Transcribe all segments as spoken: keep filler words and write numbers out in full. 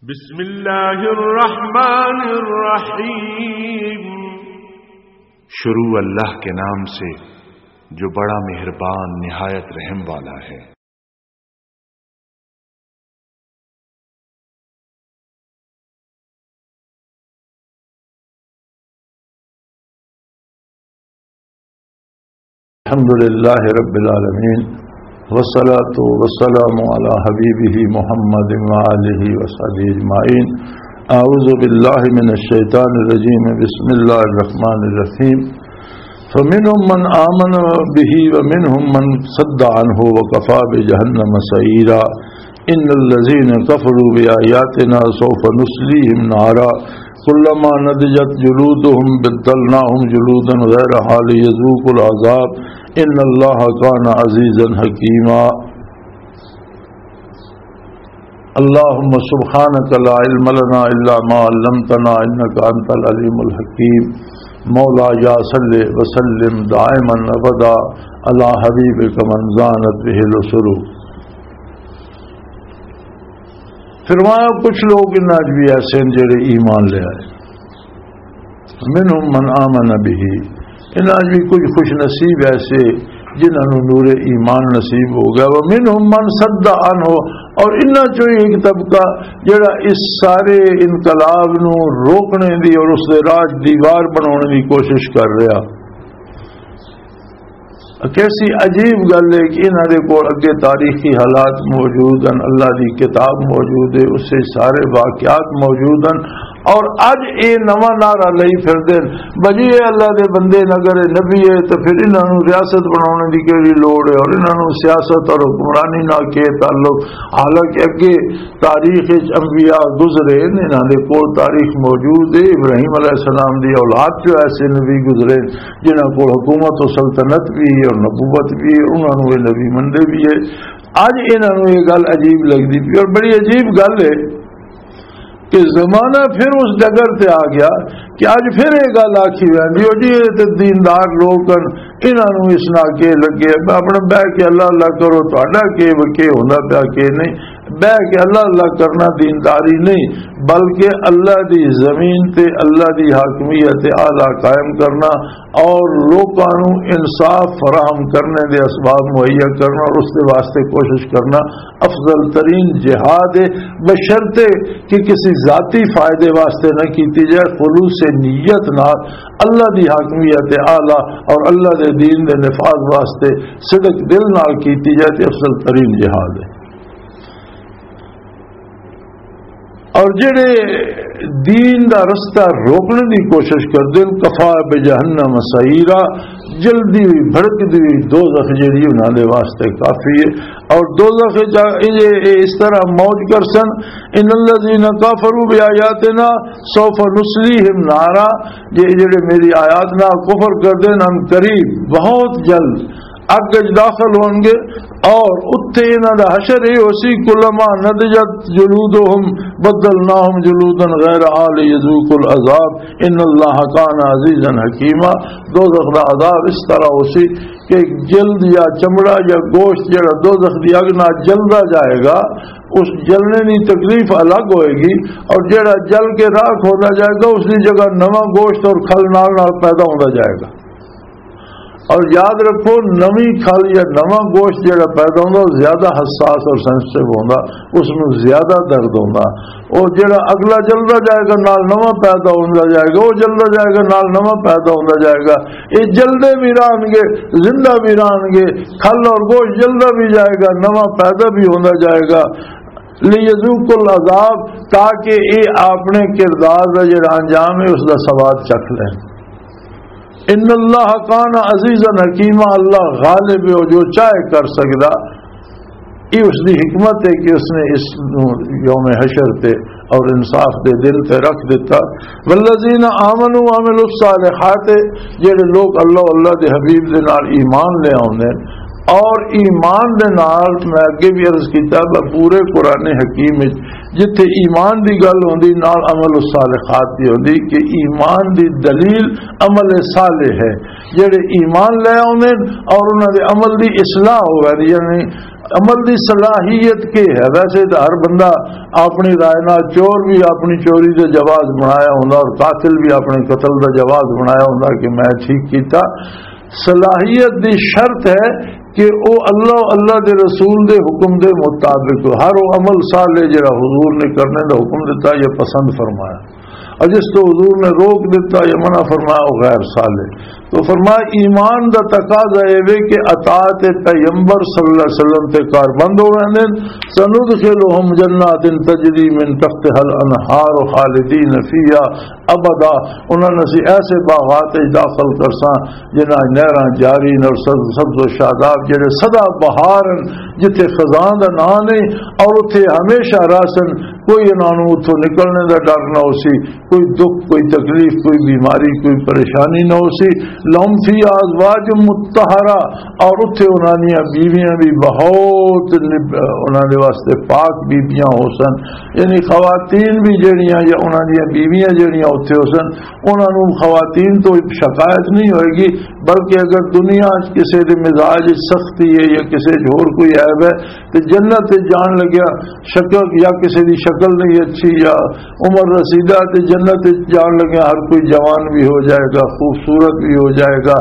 بسم اللہ الرحمن الرحیم۔ شروع اللہ کے نام سے جو بڑا مہربان نہایت رحم والا ہے۔ الحمد لله رب العالمين، والصلاة والسلام على حبيبه محمد وآله وصحبه أجمعين. أعوذ بالله من الشيطان الرجيم. بسم الله الرحمن الرحيم. فمنهم من آمن به ومنهم من صد عنه وكفى بجهنم سعيرا. إن الذين كفروا بآياتنا سوف نصليهم نارا كلما نضجت جلودهم بدلناهم جلودا غيرها ليذوقوا العذاب إن الله كان عزيزا حكيما. اللهم سبحانك لا علم لنا إلا ما علمتنا إنك أنت العليم الحكيم. مولاي صل وسلم دائما أبدا على حبيبك من زانت به الأسر. فرمایا، کچھ لوگ انہاں وچ بھی ایسے ہیں جڑے ایمان لے آئے۔ منهم من آمن به، انہاں وچ بھی کچھ خوش نصیب ایسے جنہاں نوں نور ایمان نصیب ہو گیا۔ ومنهم من صد عنه، اور انہاں چوں ایک طبقہ جڑا اس سارے انقلاب نوں روکنے دی اور اس دے راج دیوار بنانے دی کوشش کر رہا۔ کیسی عجیب گل ہے کہ انہاں دے کول اگے تاریخی حالات موجود ہیں، اللہ دی کتاب موجود ہے، اس سے سارے واقعات موجود ہیں، اور اج اے نواں نعرہ لئی پھردے نے، بجی اے اللہ دے بندے نے، اگر اے نبی ہے تو پھر انہاں نوں ریاست بناونے دی کیڑی لوڑ ہے، اور انہاں نوں سیاست اور حکمرانی نال کی تعلق؟ حالانکہ اگے تاریخ وچ انبیاء گزرے نے، انہاں دے کول تاریخ موجود ہے، ابراہیم علیہ السلام دی اولاد چوں ایسے نبی گزرے جنہاں کول حکومت و سلطنت بھی ہے اور نبوت بھی ہے، انہاں نوں اے نبی منندے بھی ہے۔ اج انہاں نوں اے گل عجیب لگدی پئی، اور بڑی عجیب گل ہے کہ زمانہ پھر اس ڈگر تے آ گیا کہ اج پھر اے گل آکھی ویندی، او جی، اے تے دیندار لوگ ہن، انہاں نوں اس نال کے لگے؟ اپنا بہ کے اللہ اللہ کرو، تہاڈا کے وکے ہوندا پیا، کے نہیں؟ بہ کے اللہ اللہ کرنا دینداری نہیں، بلکہ اللہ دی زمین تے اللہ دی حاکمیت اعلیٰ قائم کرنا اور لوکاں نوں انصاف فراہم کرنے دے اسباب مہیا کرنا اور اس دے واسطے کوشش کرنا افضل ترین جہاد ہے، بشرطے کہ کسی ذاتی فائدے واسطے نہ کیتی جائے، خلوص نیت نال اللہ دی حاکمیت اعلیٰ اور اللہ دے دین دے نفاذ واسطے صدق دل نال کیتی جائے تے افضل ترین جہاد ہے۔ اور جڑے دین دا رستہ روکنے دی کوشش کردے نے، کفا بجہنم سعیرا، جلدی ہوئی بھڑکدی ہوئی دوزخ جڑی انہاں دے واسطے کافی ہے۔ اور دوزخ وچ آ-، اے، اے اس طرح موج کر سن، ان الذین کفروا بآیاتنا سوف نصلیہم نارا، یہ جڑے میری آیات نال کفر کردے نے، ان قریب، بہت جلد اگ وچ داخل ہون گے، اور اتھے انہاں دا حشر یہ ہو سی، کلما نضجت جلودہم بدلناہم جلودا غیرہا لیذوقوا العذاب ان اللہ کان عزیزا حکیما۔ دوزخ دا عذاب اس طرح ہو سی کہ جلد یا چمڑا یا گوشت جڑا دوزخ دی اگ نال جلدا جائے گا، اس جلنے دی تکلیف الگ ہوئے گی، اور جڑا جل کے راکھ ہوندا جائے گا، اس دی جگہ نواں گوشت اور کھل نال نال پیدا ہوندا جائے گا۔ اور یاد رکھو، نویں کھل یا نواں گوشت جڑا پیدا ہوندا، وہ زیادہ حساس اور سینسٹیو ہوندا، اس نوں زیادہ درد ہوندا۔ وہ جڑا اگلا جلدا جائے گا، نال نواں پیدا ہوندا جائے گا، وہ جلدا جائے گا، نال نواں پیدا ہوندا جائے گا۔ یہ جلدے بھی رہن گے، زندہ بھی رہن گے، کھل اور گوشت جلدا بھی جائے گا، نواں پیدا بھی ہوندا جائے گا۔ لیذوقوا العذاب، تاکہ یہ اپنے کردار دا جڑا انجام ہے، اس دا سواد چکھ لین۔ ان اللہ کان عزیزا حکیما، اللہ غالب ہے، وہ جو چاہے کر سکدا۔ یہ اس دی حکمت ہے کہ اس نے اس نو یوم حشر تے اور انصاف دے دن تے رکھ دیتا۔ والذین آمنوا وعملوا الصالحات، جڑے لوگ اللہ، اللہ دے حبیب دے نال ایمان لے آوندے نے اور ایمان دے نال، میں اگے بھی عرض کیتا، پورے قرآن حکیم وچ جتھے ایمان دی گل ہوندی، نال عمل الصالحات دی ہوندی، کہ ایمان دی دلیل عمل صالح ہے۔ جڑے ایمان لے آوندے نے اور انہاں دے عمل دی اصلاح ہووے، یعنی عمل دی صلاحیت کی ہے؟ ویسے تو ہر بندہ اپنی رائے نال، چور بھی اپنی چوری دا جواز بنایا ہوندا اور قاتل بھی اپنے قتل دا جواز بنایا ہوندا کہ میں ٹھیک کیتا۔ صلاحیت دی شرط ہے کہ او اللہ، اللہ دے رسول دے حکم دے مطابق ہر او عمل صالح جڑا حضور نے کرنے دا حکم دتا یا پسند فرمایا، اور جس تو حضور نے روک دتا یا منع فرمایا، وہ غیر صالح۔ تو فرمایا، ایمان دا تقاضا اے وے کہ اطاعت پیغمبر صلی اللہ علیہ وسلم تے کار بند ہو ویندے نے۔ سندخلہم جنات تجری من تحتها الانہار خالدین فیہا ابدا۔ انہاں نے اسی ایسے باغات وچ داخل کرساں جنہاں وچ نہراں جاری نے اور سبز، سبز و شاداب، جڑے سدا بہار ہن، جتھے خزاں دا نام نہیں، اور اتھے ہمیشہ رہسن۔ کوئی انہاں نوں اتھوں نکلنے دا ڈر نہ ہوسی، کوئی دکھ، کوئی تکلیف، کوئی بیماری، کوئی پریشانی نہ ہوسی۔ لہم فیہا ازواج مطہرہ، اور اتھے انہاں دیاں بیویاں بھی بہت نب-، انہاں دے واسطے پاک بیویاں ہو سن۔ یعنی خواتین بھی جڑیاں یا انہاں دیاں بیویاں جڑیاں اتھے ہو سن، انہاں نوں خواتین تو شکایت نہیں ہوئے گی، بلکہ اگر دنیا وچ کسے دے مزاج وچ سختی ہے یا کسے وچ ہور کوئی عیب ہے، تے جنت وچ جان لگیا شکل یا کسے دی شکل نہیں اچھی یا عمر رسیدہ، تے جنت وچ جان لگیا ہر کوئی جوان بھی ہو جائے گا، خوبصورت بھی ہو جائے گا۔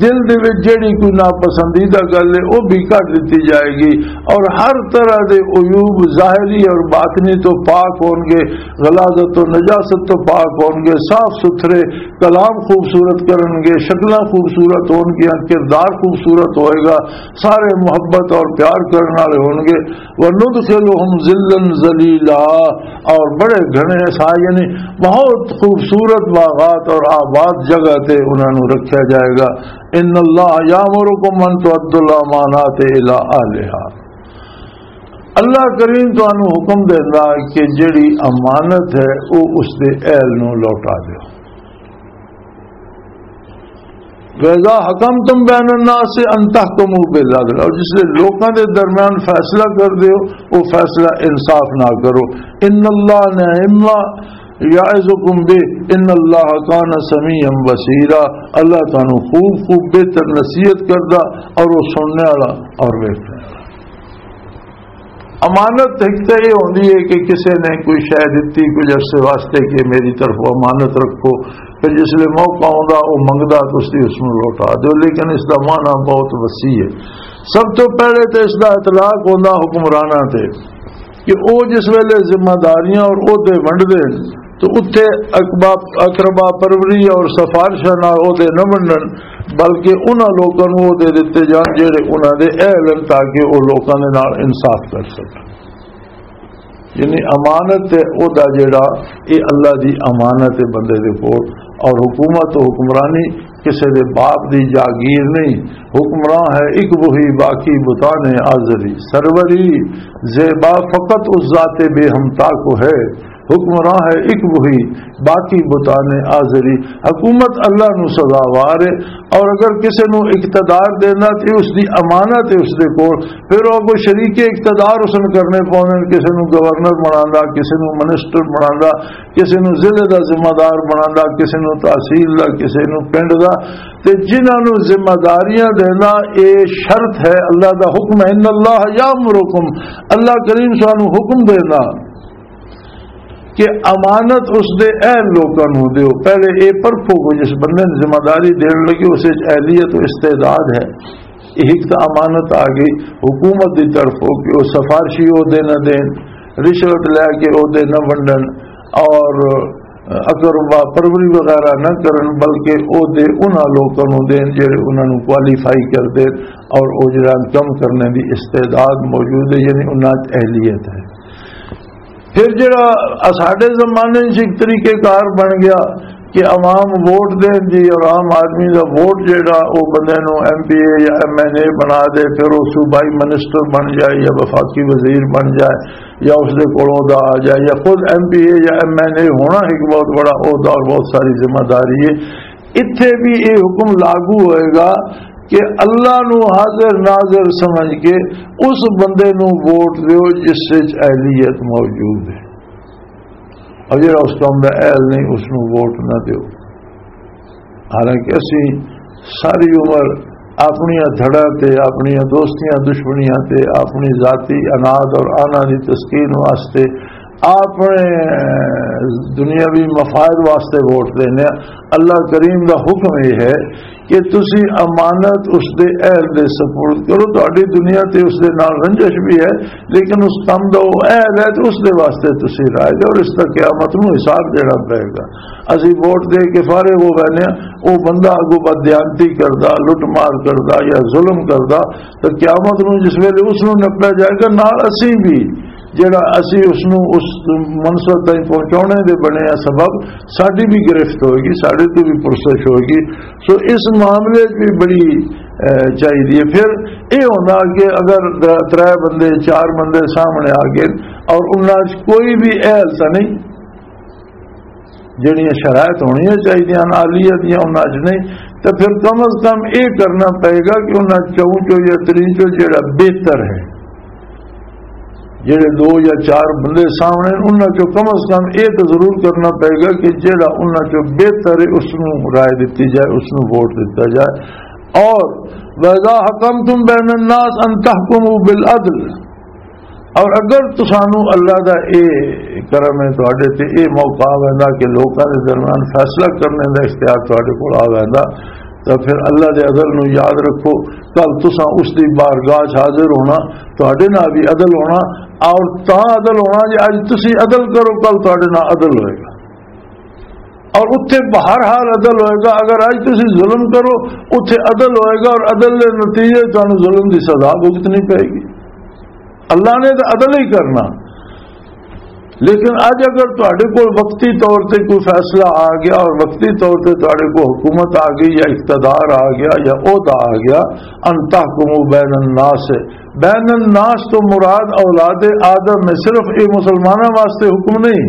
دل دے وچ جڑی کوئی ناپسندیدہ گل ہے، وہ بھی کٹ دتی جائے گی، اور ہر طرح دے عیوب ظاہری اور باطنی تو پاک ہون گے، غلاظت و نجاست تو پاک ہون گے، صاف ستھرے کلام خوبصورت کرن گے، شکلاں خوبصورت ہون گیاں، کردار خوبصورت ہوئے گا، سارے محبت اور پیار کرن والے ہون گے۔ وَنُدْخِلُهُمْ ظِلًّا ظَلِيلًا، اور بڑے گھنے سا، یعنی بہت خوبصورت باغات اور آباد جگہ تے انہاں نوں رکھیا جائے گا۔ ان اللہ یامرکم ان تؤدوا الامانات الی اہلہا۔ اللہ کریم تانوں حکم دیندا کہ جڑی امانت ہے، او اس دے اہل نوں لوٹا دیو۔ وَإِذَا حَكَمْتُمْ بَيْنَ النَّاسِ أَنْ تَحْكُمُوا بِالْعَدْلِ، اور جس لے لوکاں دے درمیان فیصلہ کر دیو، وہ فیصلہ انصاف نہ کرو۔ ان اللہ نعم ما یعظکم بہ، ان اللہ کان سمیعا بصیرا، اللہ تانوں خوب خوب بہتر نصیحت کردا اور وہ سننے والا اور ویکھنے والا۔ امانت ایک تو یہ ہوندی ہے کہ کسے نے کوئی شے دتی کچھ عرصے واسطے کہ میری طرف امانت رکھو، پھر جس لے موقع ہوندا وہ منگدا تو اس دی اس نوں لوٹا دیو، لیکن اس دا معنی بہت وسیع ہے۔ سب تو پہلے تو اس دا اطلاق ہوندا حکمراناں تے کہ او جس ویلے ذمہ داریاں اور عہدے ونڈدے ہن تو اتھے اقبا-، اقربا پروری اور سفارشاں نال عہدے نہ ونڈن، بلکہ انہاں لوکاں نوں عہدے دتے جان جڑے انہاں دے اہل ہن، تاکہ او لوکاں دے نال انصاف کر سکن۔ یعنی امانت تے عہدہ جڑا، اے اللہ دی امانت ہے بندے دے کول۔ اور حکومت و حکمرانی کسے دے باپ دی جاگیر نہیں۔ حکمراں ہے ایک وہی، باقی بتانے آزری۔ سروری زیبا فقط اس ذات بے ہمتا کو ہے۔ حکمراں ہے ایک وہی، باقی بتانے آزری۔ حکومت اللہ نو سزاوار ہے، اور اگر کسے نو اقتدار دینا تے اس دی امانت ہے اس دے کول، پھر او کوئی شریک اقتدار اس نے کرنے پوندے نے، کسے نو گورنر بناندا، کسے نو منسٹر بناندا، کسے نو ضلع دا ذمہ دار بناندا، کسے نو تحصیل دا، کسے نو پنڈ دا۔ تے جنہاں نو ذمہ داریاں دینا، اے شرط ہے، اللہ دا حکم ہے، ان اللہ یامرکم، اللہ کریم سانو حکم دینا کہ امانت اس دے اہل لوکاں نو دیو۔ پہلے اے پرکھو کہ جس بندے نے ذمہ داری دین لگے، اس وچ اہلیت و استعداد ہے۔ ایک تو امانت آ گئی حکومت دی طرف ہو کہ وہ سفارشی عہدے نہ دین، رشوت لے کے عہدے نہ ونڈن، اور اقربا پروری وغیرہ نہ کرن، بلکہ عہدے انہاں لوکاں نوں دین جڑے انہاں نوں کوالیفائی کر دین اور او جڑا کم کرنے دی استعداد موجود ہے، یعنی انہاں وچ اہلیت ہے۔ پھر جڑا ساڈے زمانے وچ ایک طریقہ کار بن گیا کہ عوام ووٹ دین جی، اور عام آدمی دا ووٹ جڑا او بندے نوں ایم پی اے یا ایم این اے بنا دے، پھر او صوبائی منسٹر بن جائے یا وفاقی وزیر بن جائے یا اس دے کولوں دا آ جائے یا خود ایم پی اے یا ایم این اے ہونا ایک بہت بڑا عہدہ اور بہت ساری ذمہ داری ہے۔ اتھے بھی یہ حکم لاگو ہوئے گا کہ اللہ نو حاضر ناظر سمجھ کے اس بندے نو ووٹ دیو جس وچ اہلیت موجود ہے۔ اور جڑا اس کام دا اہل نہیں، اس نوں ووٹ نہ دیو۔ حالانکہ اسی ساری عمر اپنیاں دھڑاں تے، اپنیاں دوستیاں دشمنیاں تے، اپنی ذاتی اناد اور آنا دی تسکین واسطے، اپنے دنیاوی مفاد واسطے ووٹ دینے ہاں۔ اللہ کریم دا حکم یہ ہے کہ تسی امانت اس دے اہل دے سپرد کرو۔ تہاڈی دنیا تے اس دے نال رنجش بھی ہے، لیکن اس کم دا وہ اہل ہے تے اس دے واسطے تسی رائے دے، اور اس دا قیامت نوں حساب دینا پئے گا۔ اسی ووٹ دے کے فارغ ہو وینے ہاں، وہ بندہ اگوں بددیانتی کردا، لٹ مار کردا یا ظلم کردا، تو قیامت نوں جس ویلے اس نوں نپیا جائے گا، نال اسی بھی، جڑا اسی اس نوں اس منصب تائیں پہنچانے دے بنے آ سبب، ساڈی بھی گرفت ہوئے گی، ساڈے تو بھی پرسش ہوئے گی۔ سو اس معاملے 'چ بھی بڑی، اے، چاہیے۔ پھر یہ ہونا کہ اگر د-، ترے بندے، چار بندے سامنے آ گئے اور انہاں 'چ کوئی بھی اہل تھا نہیں، جڑیاں شرائط ہونیاں چاہیے ہیں عالیہ دیاں انہاں 'چ نہیں، تو پھر کم از کم یہ کرنا پئے گا کہ انہاں چوں چو یا تریں چو جڑا بہتر ہے، جڑے دو یا چار بندے سامنے ہیں، انہاں چوں کم از کم یہ تو ضرور کرنا پئے گا کہ جڑا انہاں چوں بہتر ہے، اس نوں رائے دتی جائے، اس نوں ووٹ دتا جائے۔ اور وَإِذَا حَكَمْتُمْ بَيْنَ النَّاسِ أَنْ تَحْكُمُوا بِالْعَدْلِ، اور اگر تسانوں اللہ دا اے کرم ہے، تہاڈے تے اے موقع آ ویندا کہ لوکاں دے درمیان فیصلہ کرنے دا اختیار تہاڈے کول آ ویندا، تو پھر اللہ دے عدل نوں یاد رکھو۔ کل تساں اس دی بارگاہ 'چ حاضر ہونا، تہاڈے نال بھی عدل ہونا، اور تاں عدل ہونا جے اج تسی عدل کرو، کل تہاڈے نال عدل ہوئے گا۔ اور اتھے بہرحال عدل ہوئے گا۔ اگر اج تسی ظلم کرو، اتھے عدل ہوئے گا، اور عدل دے نتیجے تانوں ظلم دی سزا بھگتنی پئے گی۔ اللہ نے تو عدل ہی کرنا، لیکن اج اگر تہاڈے کول وقتی طور تے کوئی فیصلہ آ گیا اور وقتی طور تے تہاڈے کول حکومت آ گئی یا اقتدار آ گیا یا عہدہ آ گیا، ان تحکموا بین الناس، بین الناس تو مراد اولاد آدم میں صرف یہ مسلمانوں واسطے حکم نہیں،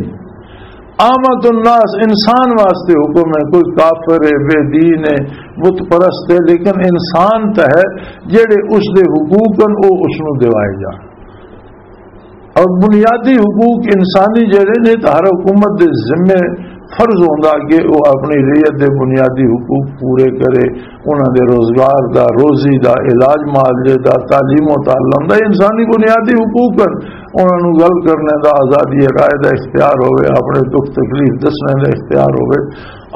عامت الناس، انسان واسطے حکم ہے۔ کوئی کافر ہے، بے دین ہے، بت پرست ہے، لیکن انسان تو ہے، جڑے اس دے حقوق ہیں، وہ اس نوں دیوائے جان۔ اور بنیادی حقوق انسانی جڑے نے، تو ہر حکومت دے ذمے فرض ہوندا کہ وہ اپنی رعیت دے بنیادی حقوق پورے کرے، انہاں دے روزگار دا، روزی دا، علاج معالجے دا، تعلیم و تعلم دا، انسانی بنیادی حقوق ہیں۔ انہاں نوں گل کرنے دا، آزادی رائے دا اختیار ہوئے، اپنے دکھ تکلیف دسنے دا اختیار ہوئے،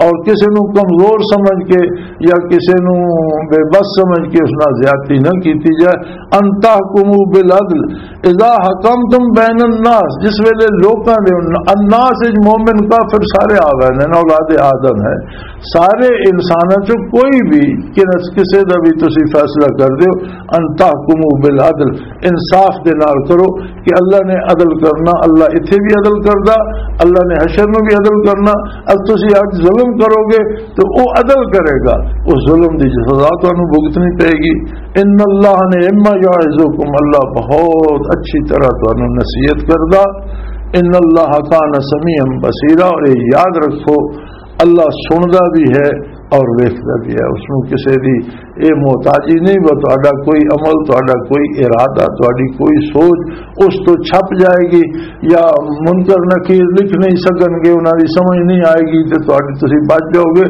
اور کسے نوں کمزور سمجھ کے یا کسے نوں بے بس سمجھ کے اس نال زیادتی نہ کیتی جائے۔ ان تحکموا بالعدل اذا حکمتم بین الناس، جس ویلے لوکاں دے، الناس وچ مومن کافر سارے آ گئے نے، اولاد آدم ہے، سارے انساناں چوں کوئی بھی، کس-، کسے دا بھی تسی فیصلہ کر دیو، ان تحکموا بالعدل، انصاف دے نال کرو، کہ اللہ نے عدل کرنا، اللہ اتھے بھی عدل کردا، اللہ نے حشر میں بھی عدل کرنا۔ اب تسی اج ظلم کرو گے تو وہ عدل کرے گا، اس ظلم دی سزا تانوں بھگتنی پئے گی۔ ان اللہ نے اما یعظکم، اللہ بہت اچھی طرح تانوں نصیحت کردا۔ ان اللہ کان سمیعا بصیرا، اور یہ یاد رکھو، اللہ سندا بھی ہے اور ویکھدا بھی ہے۔ اس نوں کسے دی یہ محتاجی نہیں، وہ تہاڈا کوئی عمل، تہاڈا کوئی ارادہ، تہاڈی کوئی سوچ اس تو چھپ جائے گی، یا منکر نکیر لکھ نہیں سکن گے، انہاں دی سمجھ نہیں آئے گی، تے تہاڈی، تسی بچ جاؤ گے۔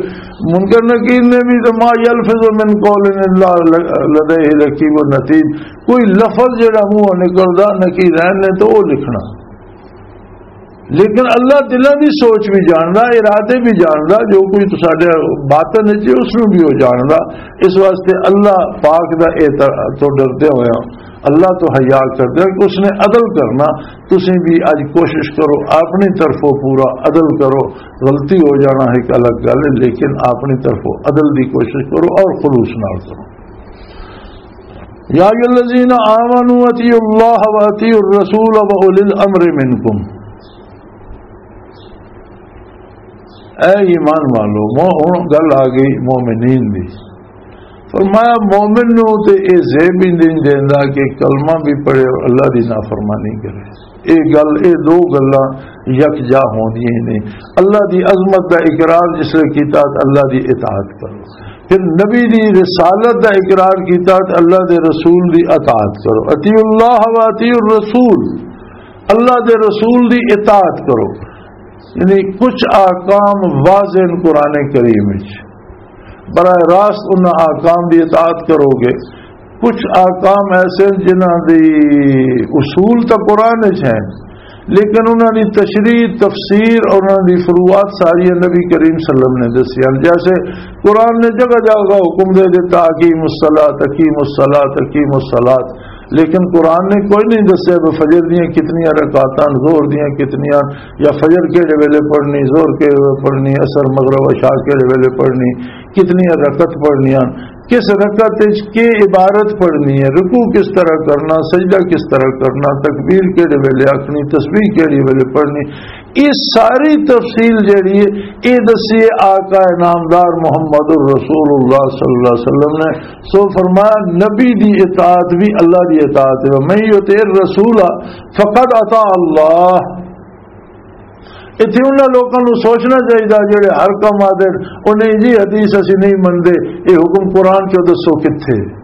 منکر نکیر نے بھی تو ما یلفظ من قول الا لدیہ رقیب عتید، کوئی لفظ جڑا منہ نکلدا نکیرین نے تو وہ لکھنا۔ لیکن اللہ دلاں دی سوچ بھی جاندا، ارادے بھی جاندا، جو کچھ ساڈے باطن وچ ہے، اس نوں بھی وہ جاندا۔ اس واسطے اللہ پاک دا اے تر-، تو ڈردے ہوئے، اللہ تو حیا کردے ہو کہ اس نے عدل کرنا۔ تسی بھی اج کوشش کرو، اپنی طرفوں پورا عدل کرو۔ غلطی ہو جانا ایک الگ گل ہے، لیکن اپنی طرفوں عدل دی کوشش کرو اور خلوص نال کرو۔ یا ایھا الذین آمنوا اطیعوا اللہ و اطیعوا الرسول و اولی الامر منکم۔ اے ایمان والو، مو-، ہن گل آ گئی مومنین دی۔ فرمایا، مومن نو تے اے زیب ہی نہیں دیندا کہ کلمہ بھی پڑھے اور اللہ دی نافرمانی کرے۔ اے گل، اے دو گلاں یکجا ہوندیاں ہی نہیں۔ اللہ دی عظمت دا اقرار جس لے کیتا تے اللہ دی اطاعت کرو، پھر نبی دی رسالت دا اقرار کیتا تے اللہ دے رسول دی اطاعت کرو۔ اطیعوا اللہ و اطیعوا الرسول، اللہ دے رسول دی اطاعت کرو۔ یعنی کچھ احکام واضح ہیں قرآن کریم وچ، براہ راست ان احکام دی اطاعت کرو گے۔ کچھ احکام ایسے ہیں جنہاں دی اصول تو قرآن وچ ہیں، لیکن انہاں دی تشریح، تفسیر اور انہاں دی فروعات ساری نبی کریم صلی اللہ علیہ وسلم نے دسی ہیں۔ جیسے قرآن نے جگہ جگہ حکم دے دیتا، "اقیموا الصلاۃ، اقیموا الصلاۃ، اقیموا الصلاۃ"، لیکن قرآن نے کوئی نہیں دسیا کہ فجر دیاں کتنیاں رکعتاں، ظہر دیاں کتنیاں، یا فجر کہڑے ویلے پڑھنی، ظہر کہڑے ویلے پڑھنی، عصر، مغرب، عشاء کہڑے ویلے پڑھنی، کتنیاں رکعت پڑھنیاں، کس رکعت وچ کی عبارت پڑھنی ہے، رکوع کس طرح کرنا، سجدہ کس طرح کرنا، تکبیر کہڑے ویلے آکھنی، تسبیح کہڑے ویلے پڑھنی، یہ ساری تفصیل جڑی ہے، یہ دسی ہے آقا نامدار محمد رسول اللہ صلی اللہ علیہ وسلم نے۔ سو فرمایا، نبی دی اطاعت بھی اللہ دی اطاعت ہے۔ "من یطع الرسول فقد اطاع اللہ۔" اتھے انہاں لوکاں نوں سوچنا چاہیدا جڑے ہر کم آدھے، "او نہیں جی، حدیث اسی نہیں مندے، یہ حکم قرآن چوں دسو کتھے؟"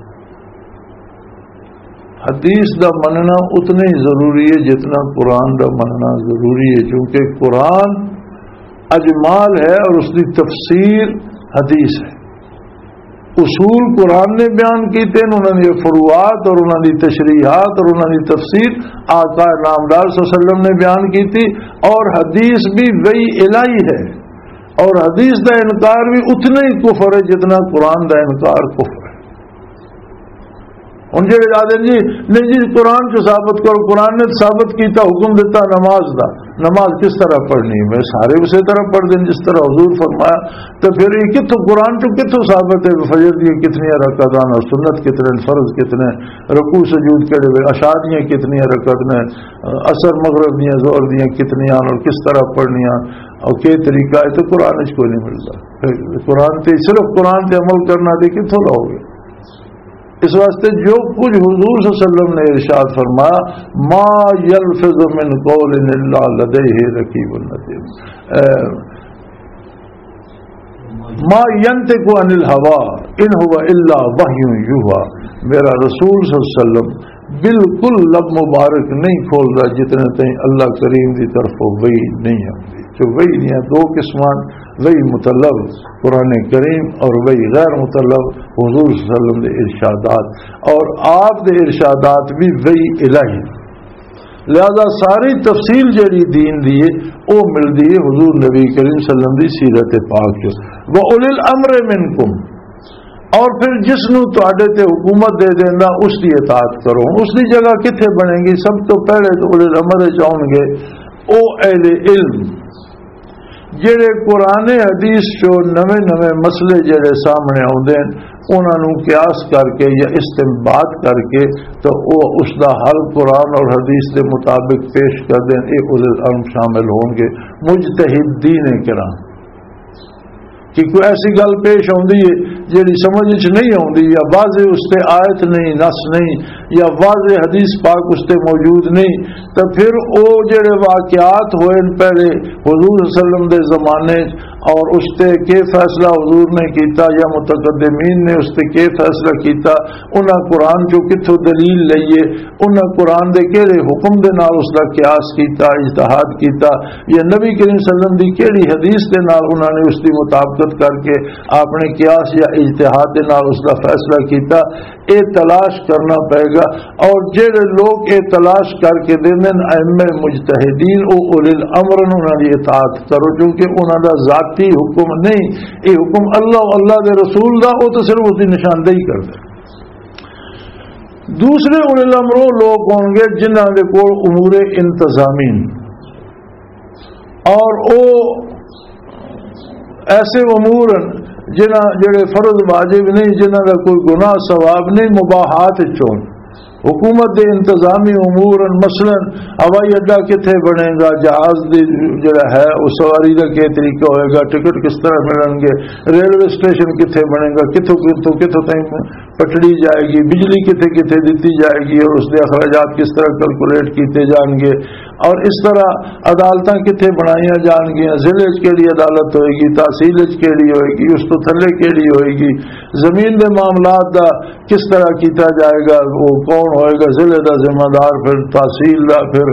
حدیث دا مننا اتنا ہی ضروری ہے جتنا قرآن دا مننا ضروری ہے، کیونکہ قرآن اجمال ہے اور اس دی تفسیر حدیث ہے۔ اصول قرآن نے بیان کیتے ہیں، انہاں دی فروعات اور انہاں دی تشریحات اور انہاں دی تفسیر آقا نامدار صلی اللہ علیہ وسلم نے بیان کیتی، اور حدیث بھی وحی الہی ہے، اور حدیث دا انکار بھی اتنا ہی کفر ہے جتنا قرآن دا انکار کفر ہے۔ ہن جڑے آدھے جی، "نہیں جی، قرآن چوں ثابت کرو، قرآن نے ثابت کیتا، حکم دیتا نماز دا، نماز کس طرح پڑھنی ہے؟" سارے اسی طرح پڑھ دیں جس طرح حضور فرمایا۔ تو پھر یہ کتھوں، قرآن چوں کتھوں ثابت ہے کہ فجر دیاں کتنیاں رکعتاں اور سنت کتنے، فرض کتنے، رکوع سجود کہڑے وے، عشاء دیاں کتنیاں رکعت نے، عصر مغرب دیاں، ظہر دیاں کتنیاں اور کس طرح پڑھنیاں اور کیا طریقہ ہے؟ تو قرآن وچ کوئی نہیں ملتا۔ قرآن تے، صرف قرآن تے عمل کرنا تے کتھوں لاؤ گے؟ اس واسطے جو کچھ حضور صلی اللہ علیہ وسلم نے ارشاد فرمایا، "ما یلفظ من قول الا لدیہ رقیب عتید۔" اے، "ما ینطق عن الہوی ان ہو الا وحی یوحی۔" میرا رسول صلی اللہ علیہ وسلم بالکل لب مبارک نہیں کھولدا جتنے تائیں اللہ کریم دی طرفوں وحی نہیں آندی۔ جو وحی دیاں دو قسمان، وحی مطلب قرآن کریم اور وحی غیر مطلب حضور صلی اللہ علیہ وسلم دے ارشادات، اور آپ دے ارشادات بھی وحی الہی۔ لہذا ساری تفصیل جڑی دین دی ہے، او ملدی ہے حضور نبی کریم صلی اللہ علیہ وسلم دی سیرت پاک چ۔ "و اولی الامر منکم"، اور پھر جس نو تواڈے تے حکومت دے دیندا، اس دی اطاعت کرو۔ اس دی جگہ کتھے بنے گی؟ سب تو پہلے تو اولی الامر وچ آؤن گے او اہل علم، جڑے قرآن حدیث چوں نویں نویں مسئلے جڑے سامنے آوندے ہن، انہاں نوں قیاس کر کے یا استنباط کر کے تو او اس دا حل قرآن اور حدیث دے مطابق پیش کر دین۔ اے اولو العلم شامل ہون گے، مجتہدین کرام۔ کہ کوئی ایسی گل پیش آوندی ہے جڑی سمجھ وچ نہیں آوندی، یا واضح اس تے آیت نہیں، نص نہیں، یا واضح حدیث پاک اس تے موجود نہیں، تو پھر او جڑے واقعات ہوئے نے پہلے حضور صلی اللہ علیہ وسلم دے زمانے اور اس تے کی فیصلہ حضور نے کیتا یا متقدمین نے اس تے کی فیصلہ کیتا، انہاں قرآن چوں کتھوں دلیل لئیے، انہاں قرآن دے کہڑے حکم دے نال اس دا قیاس کیتا، اجتہاد کیتا، یا نبی کریم صلی اللہ علیہ وسلم دی کہڑی حدیث دے نال انہاں نے اس دی مطابقت کر کے اپنے قیاس یا اجتہاد دے نال اس دا فیصلہ کیتا، اے تلاش کرنا پئے گا۔ اور جڑے لوگ اے تلاش کر کے دیندے نے، ائمہ مجتہدین، او اولی الامر نے، انہاں دی اطاعت کرو، کیونکہ انہاں دا ذاتی حکم نہیں، اے حکم اللہ، اللہ دے رسول دا، او تو صرف اس دی نشاندہی کردے۔ دوسرے اولی الامر وہ لوگ ہون گے جنہاں دے کول امور انتظامی نے، اور او ایسے امور ہیں جنہاں، جڑے فرض واجب نہیں، جنہاں دا کوئی گناہ ثواب نہیں، مباحات وچوں۔ حکومت دے انتظامی امور ہیں، مثلاً ہوائی اڈا کتھے بنے گا، جہاز دے جڑا ہے اس سواری دا کیا طریقہ ہوئے گا، ٹکٹ کس طرح ملن گے، ریلوے اسٹیشن کتھے بنے گا، کتھوں، کتھوں، کتھوں تائیں پٹڑی جائے گی، بجلی کتھے کتھے دتی جائے گی اور اس دے اخراجات کس طرح کیلکولیٹ کیتے جان گے، اور اس طرح عدالتاں کتھے بنائیاں جان گیاں، ضلع وچ کیڑی عدالت ہوئے گی، تحصیل وچ کیڑی ہوئے گی، اس تو تھلے کیڑی ہوئے گی، زمین دے معاملات دا کس طرح کیتا جائے گا، وہ کون ہوئے گا ضلع دا ذمہ دار، پھر تحصیل دا، پھر،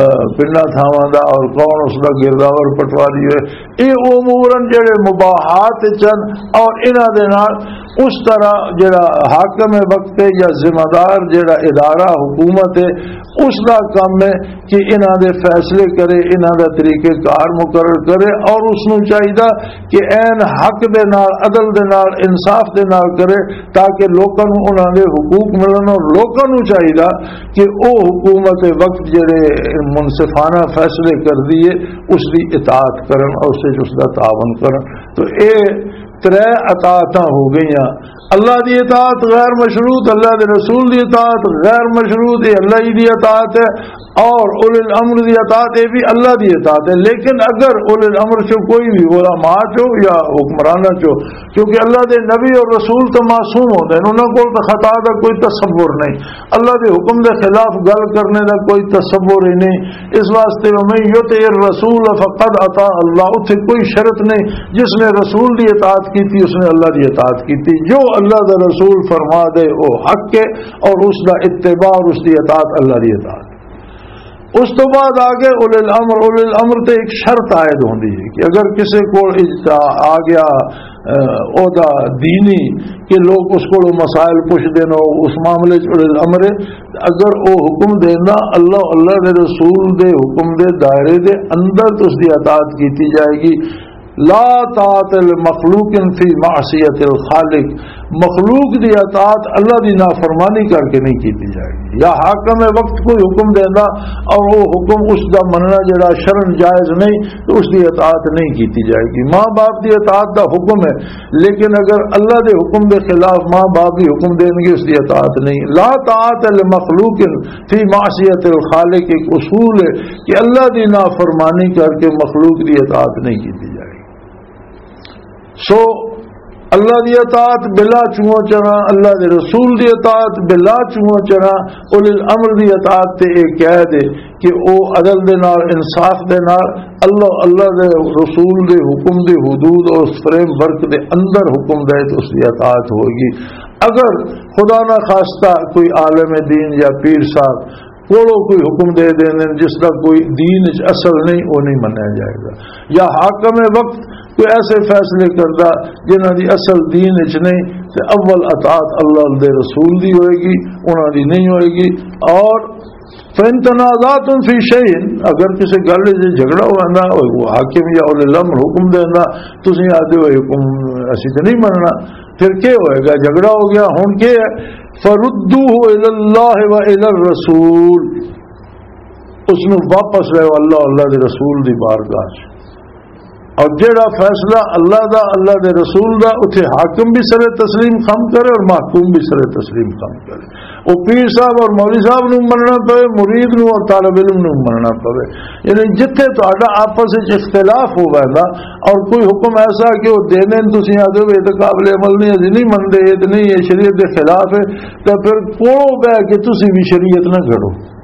آ، پنڈا تھاواں دا، اور کون اس دا گرداور پٹواری ہوئے۔ یہ امور ہیں جڑے مباحات چن، اور انہاں دے نال اس طرح جڑا حاکم وقت ہے یا ذمہ دار جڑا ادارہ حکومت ہے، اس دا کم ہے کہ انہاں دے فیصلے کرے، انہاں دا طریقہ کار مقرر کرے، اور اس نوں چاہیدا کہ عین حق دے نال، عدل دے نال، انصاف دے نال کرے، تاکہ لوکاں نوں انہاں دے حقوق ملن، اور لوکاں نوں چاہیدا کہ او حکومت وقت جڑے منصفانہ فیصلے کردی ہے، اس دی اطاعت کرن اور اس وچ اس دا تعاون کرن۔ تو اے ترے اطاعتاں ہو گئیاں۔ اللہ دی اطاعت غیر مشروط، اللہ دے رسول دی اطاعت غیر مشروط، یہ اللہ ہی دی اطاعت ہے۔ اور اولی الامر دی اطاعت، یہ بھی اللہ دی اطاعت ہے۔ لیکن اگر اولی الامر چو کوئی بھی، علماء چو یا حکمرانہ چو، کیونکہ اللہ دے نبی اور رسول تو معصوم ہوندے ہیں، انہاں کول تو خطا دا کوئی تصور نہیں، اللہ دے حکم دے خلاف گل کرنے دا کوئی تصور ہی نہیں۔ اس واسطے وَمَن يُطِعِ الرَّسُولَ فَقَدْ أَطَاعَ اللَّهَ، اتھے کوئی شرط نہیں۔ جس نے رسول دی اطاعت کیتی، اس نے اللہ دی اطاعت کیتی۔ جو اللہ دا رسول فرما دے، وہ حق ہے، اور اس دا اتباع اور اس دی اطاعت اللہ دی اطاعت۔ اس تو بعد آ گئے اولی الامر۔ اولی الامر تے ایک شرط عائد ہوندی ہے کہ اگر کسے کول اجتا-، آ گیا، اہ، عہدہ دینی، کہ لوگ اس کولوں مسائل پوچھدے نے، اس معاملے چ اولی الامر ہے۔ اگر او حکم دیندا، اللہ، اللہ دے رسول دے حکم دے دائرے دے اندر تو اس دی اطاعت کیتی جائے گی۔ لا طاعت لمخلوق فی معصیت الخالق، مخلوق دی اطاعت اللہ دی نافرمانی کر کے نہیں کیتی جائے گی۔ یا حاکم وقت کوئی حکم دیندا اور وہ حکم اس دا مننا جڑا شرعاً جائز نہیں، تو اس دی اطاعت نہیں کیتی جائے گی۔ ماں باپ دی اطاعت دا حکم ہے، لیکن اگر اللہ دے حکم دے خلاف ماں باپ بھی حکم دین گے، اس دی اطاعت نہیں۔ لا طاعت لمخلوق فی معصیت الخالق، ایک اصول ہے کہ اللہ دی نافرمانی کر کے مخلوق دی اطاعت نہیں کیتی جائے گی۔ سو اللہ دی اطاعت بلا چوہاں چرا، اللہ دے رسول دی اطاعت بلا چوہاں چرا، اولی الامر دی اطاعت تے ایک قید ہے کہ او عدل دے نال، انصاف دے نال، اللہ، اللہ دے رسول دے حکم دے حدود اور اس فریم ورک دے اندر حکم دے تو اس دی اطاعت ہوئے گی۔ اگر خدا نہ خواستہ کوئی عالم دین یا پیر صاحب کولو کوئی حکم دے دین جس دا کوئی دین وچ اصل نہیں، وہ نہیں منیا جائے گا۔ یا حاکم وقت کوئی ایسے فیصلے کردا جنہاں دی اصل دین وچ نہیں، تے اول اطاعت اللہ دے رسول دی ہوئے گی، انہاں دی نہیں ہوئے گی۔ اور فَإِن تَنَازَعْتُمْ فِي شَيْءٍ، اگر کسی گل وچ جھگڑا ہوا نا، وہ حاکم یا اولی الامر حکم دینا، تسی آدھے ہوئے حکم اسی تے نہیں مننا، پھر کیا ہوئے گا؟ جھگڑا ہو گیا، ہن کیا ہے؟ فَرُدُّوهُ إِلَى اللَّهِ وَإِلَى الرَّسُولِ، اس نو واپس لے اللہ، اللہ دے رسول دی بارگاہ چ۔ اور جڑا فیصلہ اللہ دا، اللہ دے رسول دا، اتھے حاکم بھی سر تسلیم خم کرے اور محکوم بھی سر تسلیم خم کرے۔ وہ پیر صاحب اور مولوی صاحب نو مننا پوے، مرید نو اور طالب علم نو مننا پوے، یعنی جتھے تہاڈا آپس وچ اختلاف ہو ویندا اور کوئی حکم ایسا کہ وہ دینے تسی آدھے ہو، "یہ تو قابل عمل نہیں، اسی نہیں منتے، یہ تو نہیں، یہ شریعت دے خلاف ہے"، تو پھر کوڑو بہ کے تسی بھی شریعت نہ گھڑو۔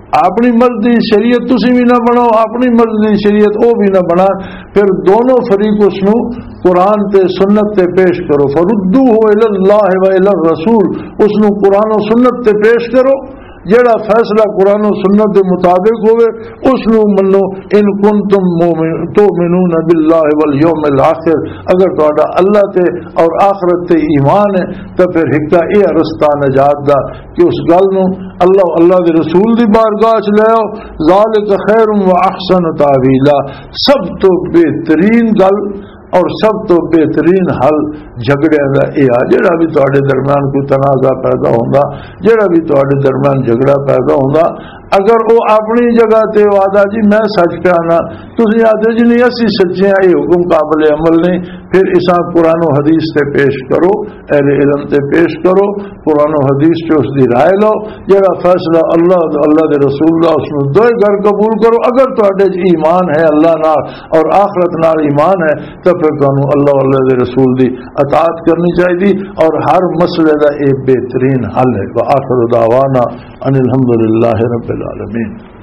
اپنی مرضی دی شریعت تسی بھی نہ بناؤ، اپنی مرضی دی شریعت او بھی نہ بنا۔ پھر دونوں فریق اس نو قرآن تے سنت تے پیش کرو۔ فردوہ الی اللہ و الی الرسول، اس نو قرآن و سنت تے پیش کرو۔ جڑا فیصلہ قرآن و سنت دے مطابق ہوئے، اس نو منو۔ ان کنتم مؤمن-، تؤمنون باللہ والیوم الآخر، اگر تہاڈا اللہ تے اور آخرت تے ایمان ہے، تو پھر ہکا یہ رستہ نجات دا کہ اس گل نو اللہ، اللہ دے رسول دی بارگاہ چ لے آؤ۔ ذالک خیر و احسن تاویلا، سب تو بہترین گل اور سب تو بہترین حل جھگڑیاں دا اے آ۔ جڑا بھی تہاڈے درمیان کوئی تنازع پیدا ہوندا، جڑا بھی تہاڈے درمیان جھگڑا پیدا ہوندا، اگر وہ اپنی جگہ تے وعدہ جی میں سچ پیا نا، تسی آدھے جی نہیں اسی سچے ہاں، یہ حکم قابل عمل نہیں، پھر اساں قرآن و حدیث تے پیش کرو، اہل علم تے پیش کرو، قرآن و حدیث چ اس دی رائے لو۔ جڑا فیصلہ اللہ، اللہ دے رسول دا، اس نوں دوئے گھر قبول کرو۔ اگر تہاڈے چ ایمان ہے اللہ نال اور آخرت نال ایمان ہے، تو پھر تانوں اللہ، اللہ دے رسول دی اطاعت کرنی چاہیے اور ہر مسئلے دا یہ بہترین حل ہے۔ وآخر دعوانا ان الحمدللہ رب العالمین۔